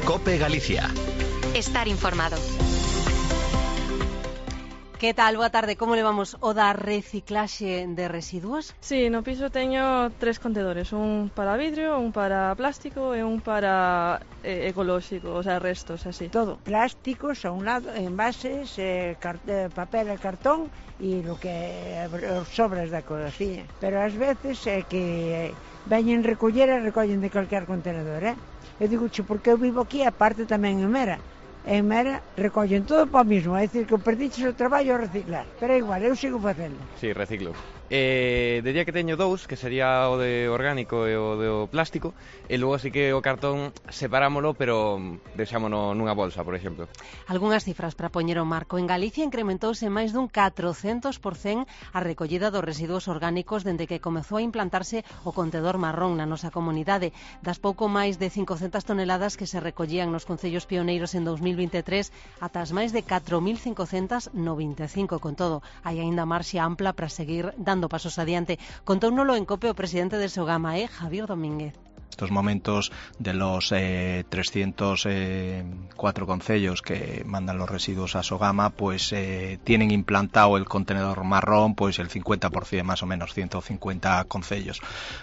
COPE Galicia. Estar informado. Que tal? Boa tarde, como levamos o da reciclaxe de residuos? Sí, no piso teño 3 contedores, un para vidrio, un para plástico e un para ecolóxico, o sea, restos, así. Todo, plásticos a un lado, envases, papel e cartón e lo que os sobras da cociña. Pero ás veces é que veñen recoller e recollen de calquer contenedor, Eu digo, porque eu vivo aquí, aparte tamén en Mera. En Mera recollen todo para o mismo, é dicir que perdiches o traballo a reciclar, pero é igual, eu sigo facendo. Sí, reciclo. Diría que teño dous, que sería o de orgánico e o de plástico, e logo así que o cartón separámolo, pero deixámono nunha bolsa, por exemplo. Algúnas cifras para poñer o marco. En Galicia incrementouse máis dun 400% a recollida dos residuos orgánicos dende que comezou a implantarse o contedor marrón na nosa comunidade. Das pouco máis de 500 toneladas que se recollían nos concellos pioneiros en 2023 ata as máis de 4.500 no 25. Con todo, hai aínda marxe ampla para seguir dando pasos adiante. Contóunolo en COPE o presidente de Sogama, Javier Domínguez. Estos momentos de los 304 concellos que mandan los residuos a Sogama, pues tienen implantado el contenedor marrón, pues el 50% más o menos, 150 concellos.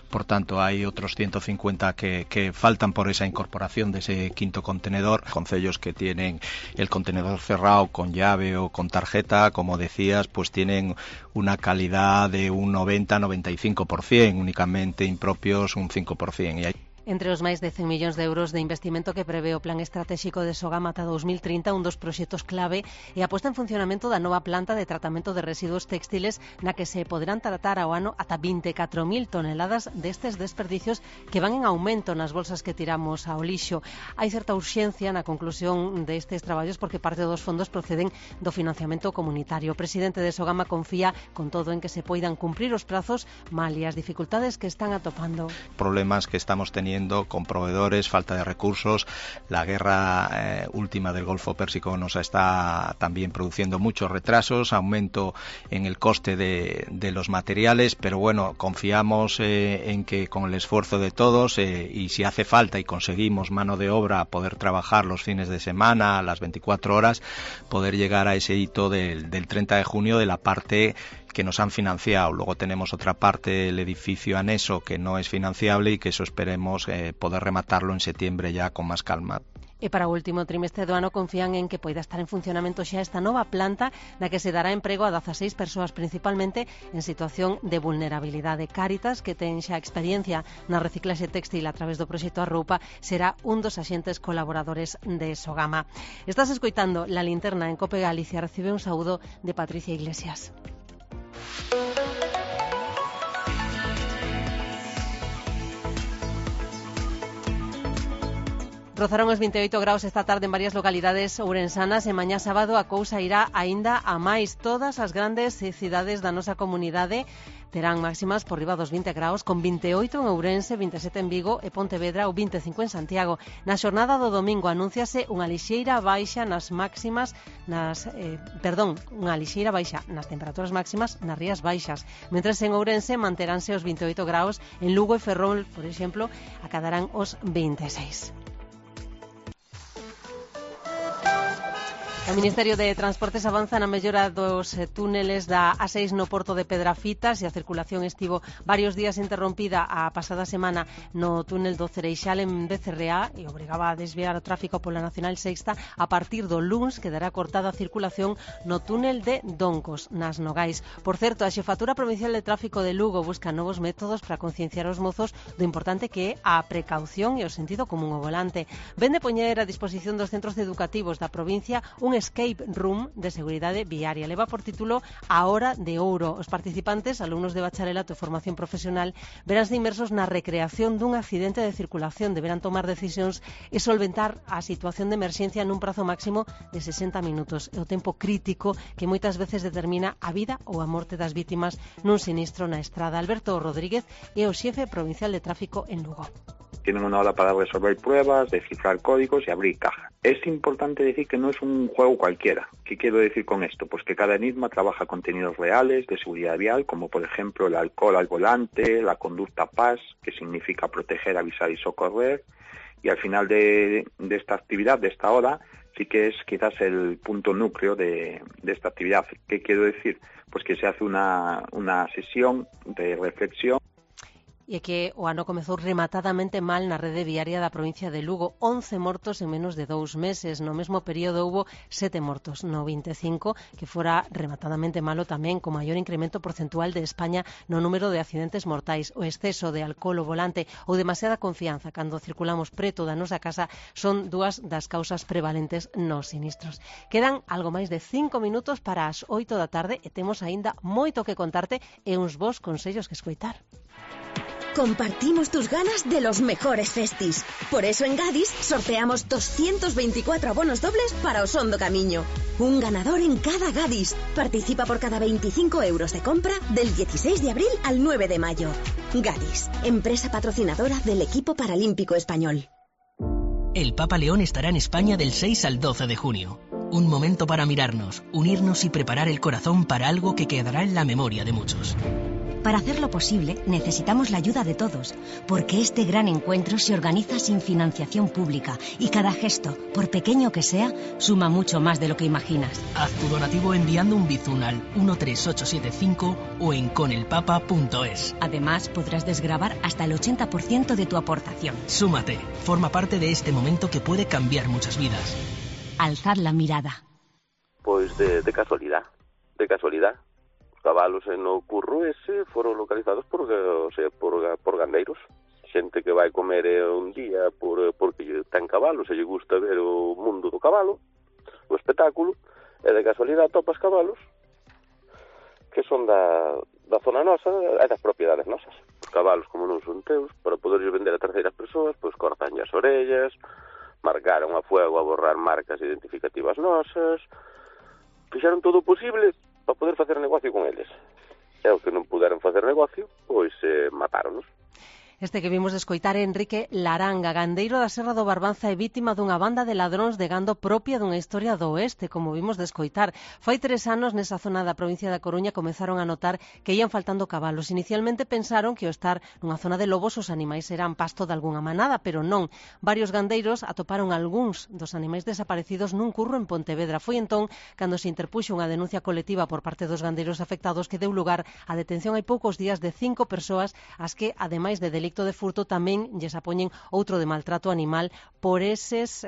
Por tanto, hay otros 150 que faltan por esa incorporación de ese quinto contenedor. Concellos que tienen el contenedor cerrado con llave o con tarjeta, como decías, pues tienen una calidad de un 90-95%, únicamente impropios un 5%. Y hay Entre os máis de 100 millóns de euros de investimento que prevé o Plan Estratégico de Sogama ata 2030, un dos proxectos clave é a posta en funcionamento da nova planta de tratamento de residuos textiles na que se poderán tratar ao ano ata 24.000 toneladas destes desperdicios que van en aumento nas bolsas que tiramos ao lixo. Hai certa urxencia na conclusión destes traballos porque parte dos fondos proceden do financiamento comunitario. O presidente de Sogama confía con todo en que se poidan cumprir os prazos malia as dificultades que están atopando. Problemas que estamos teniendo con proveedores, falta de recursos, la guerra última del Golfo Pérsico nos está también produciendo muchos retrasos, aumento en el coste de los materiales, pero bueno, confiamos en que con el esfuerzo de todos y si hace falta y conseguimos mano de obra poder trabajar los fines de semana, las 24 horas, poder llegar a ese hito del 30 de junio de la parte que nos han financiado. Luego tenemos otra parte, el edificio anexo, que no es financiable y que eso esperemos poder rematarlo en septiembre ya con más calma. E para o último trimestre do ano confían en que poida estar en funcionamento xa esta nova planta na que se dará emprego a 16 persoas, principalmente en situación de vulnerabilidade. Cáritas, que ten xa experiencia na reciclaxe textil a través do proxecto Arroupa, será un dos axentes colaboradores de Sogama. Estás escoitando La Linterna en COPE Galicia. Recibe un saúdo de Patricia Iglesias. Rozaron os 28 graus esta tarde en varias localidades ourensanas e mañá sábado a cousa irá aínda a máis. Todas as grandes cidades da nosa comunidade terán máximas por riba dos 20 graus, con 28 en Ourense, 27 en Vigo e Pontevedra ou 25 en Santiago. Na xornada do domingo anunciase unha lixeira baixa nas máximas, unha lixeira baixa nas temperaturas máximas nas Rías Baixas. Mentres en Ourense manteránse os 28 graus, en Lugo e Ferrol, por exemplo, acadarán os 26. O Ministerio de Transportes avanza na mellora dos túneles da A6 no Porto de Pedrafitas e a circulación estivo varios días interrompida a pasada semana no túnel do Cereixal en Becerreá e obrigaba a desviar o tráfico pola Nacional Sexta. A partir do luns quedará cortada a circulación no túnel de Doncos, nas Nogais. Por certo, a Xefatura Provincial de Tráfico de Lugo busca novos métodos para concienciar os mozos do importante que é a precaución e o sentido común ao volante. Ven de poñer a disposición dos centros educativos da provincia un escape room de seguridade viaria. Leva por título A Hora de Ouro. Os participantes, alumnos de bacharelato e formación profesional, veránse inmersos na recreación dun accidente de circulación. Deberán tomar decisións e solventar a situación de emerxencia nun prazo máximo de 60 minutos. É o tempo crítico que moitas veces determina a vida ou a morte das vítimas nun sinistro na estrada. Alberto Rodríguez é o xefe provincial de tráfico en Lugo. Tienen una hora para resolver pruebas, descifrar códigos y abrir caja. Es importante decir que no es un juego cualquiera. ¿Qué quiero decir con esto? Pues que cada enigma trabaja contenidos reales de seguridad vial, como por ejemplo el alcohol al volante, la conducta PAS, que significa proteger, avisar y socorrer. Y al final de esta actividad, de esta hora, sí que es quizás el punto núcleo de esta actividad. ¿Qué quiero decir? Pues que se hace una sesión de reflexión. E que o ano comezou rematadamente mal na rede viaria da provincia de Lugo. 11 mortos en menos de 2 meses. No mesmo período houbo 7 mortos. No 25, que fora rematadamente malo tamén, co maior incremento porcentual de España no número de accidentes mortais. O exceso de alcohol ao volante ou demasiada confianza cando circulamos preto da nosa casa son dúas das causas prevalentes nos sinistros. Quedan algo máis de 5 minutos para as 8 da tarde e temos aínda moito que contarte e uns bons consellos que escoitar. Compartimos tus ganas de los mejores festis. Por eso en Gadis sorteamos 224 abonos dobles para Osondo Camiño. Un ganador en cada Gadis. Participa por cada 25 euros de compra del 16 de abril al 9 de mayo. Gadis, empresa patrocinadora del equipo paralímpico español. El Papa León estará en España del 6 al 12 de junio. Un momento para mirarnos, unirnos y preparar el corazón para algo que quedará en la memoria de muchos. Para hacerlo posible, necesitamos la ayuda de todos, porque este gran encuentro se organiza sin financiación pública y cada gesto, por pequeño que sea, suma mucho más de lo que imaginas. Haz tu donativo enviando un bizun al 13875 o en conelpapa.es. Además, podrás desgravar hasta el 80% de tu aportación. Súmate, forma parte de este momento que puede cambiar muchas vidas. Alzad la mirada. Pois de casualidad. Cabalos no curro ese foron localizados por gandeiros. Xente que vai comer un día porque ten cabalos e lle gusta ver o mundo do cabalo, o espectáculo, e de casualidade topas cabalos que son da zona nosa e das propiedades nosas. Os cabalos, como non son teus, para poderlos vender a terceiras persoas, pois cortan as orellas, marcaron a fuego a borrar marcas identificativas nosas, fixeron todo o posible para poder facer negocio con eles. E o que non puderon facer negocio, pois matáronos. Este que vimos de escoitar é Enrique Laranga, gandeiro da Serra do Barbanza e vítima dunha banda de ladróns de gando propia dunha historia do oeste, como vimos de escoitar. Fai 3 anos nesa zona da provincia da Coruña comezaron a notar que ían faltando cabalos. Inicialmente pensaron que ao estar nunha zona de lobos os animais eran pasto de algunha manada, pero non. Varios gandeiros atoparon algúns dos animais desaparecidos nun curro en Pontevedra. Foi entón cando se interpuxo unha denuncia colectiva por parte dos gandeiros afectados que deu lugar á detención hai poucos días de 5 persoas as que, ademais de delicto de furto, tamén lles apoñen outro de maltrato animal por eses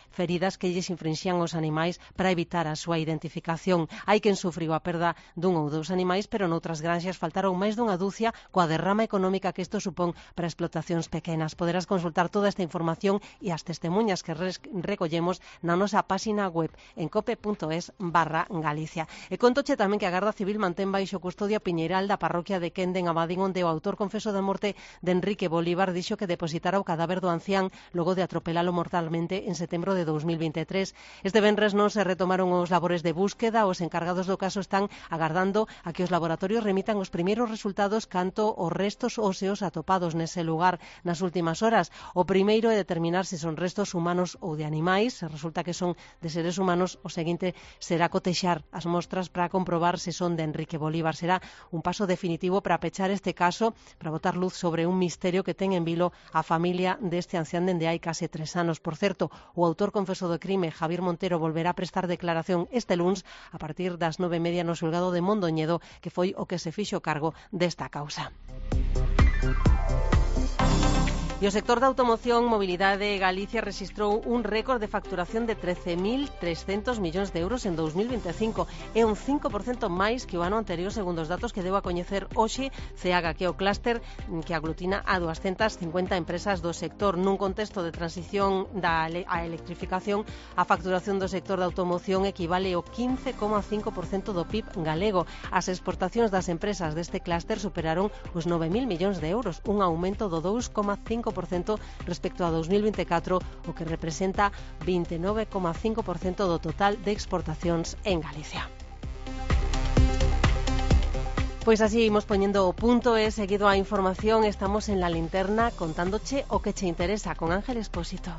feridas que lles infringían os animais para evitar a súa identificación. Hai quen sufriu a perda dun ou dous animais, pero noutras granxas faltaron máis dunha dúcia coa derrama económica que isto supón para explotacións pequenas. Poderás consultar toda esta información e as testemunhas que recollemos na nosa páxina web en cope.es/Galicia. E contoche tamén que a Garda Civil mantén baixo custodia Piñeiral da parroquia de Quende en Abadín, onde o autor confeso da morte de Enrique Bolívar dixo que depositara o cadáver do ancián logo de atropelalo mortalmente en setembro de 2023. Este venres non se retomaron os labores de búsqueda. Os encargados do caso están agardando a que os laboratorios remitan os primeiros resultados canto os restos óseos atopados nese lugar nas últimas horas. O primeiro é determinar se son restos humanos ou de animais. Se resulta que son de seres humanos, o seguinte será cotexar as mostras para comprobar se son de Enrique Bolívar. Será un paso definitivo para pechar este caso, para botar luz sobre un misterio que ten en vilo a familia deste ancián dende hai case 3 anos. Por certo, o autor confeso do crime, Javier Montero, volverá a prestar declaración este luns a partir das 9:30 no xulgado de Mondoñedo, que foi o que se fixo cargo desta causa. E o sector da automoción, Mobilidade Galicia rexistrou un récord de facturación de 13.300 millóns de euros en 2025. É un 5% máis que o ano anterior, segundo os datos que deu a coñecer hoxe CEAGA, que é o clúster que aglutina a 250 empresas do sector. Nun contexto de transición á electrificación, a facturación do sector da automoción equivale ao 15,5% do PIB galego. As exportacións das empresas deste clúster superaron os 9.000 millóns de euros, un aumento do 2,5% respecto a 2024, o que representa 29,5% do total de exportacións en Galicia. Pois así imos poñendo o punto e seguido a información estamos en La Linterna contándoche o que che interesa con Ángel Expósito.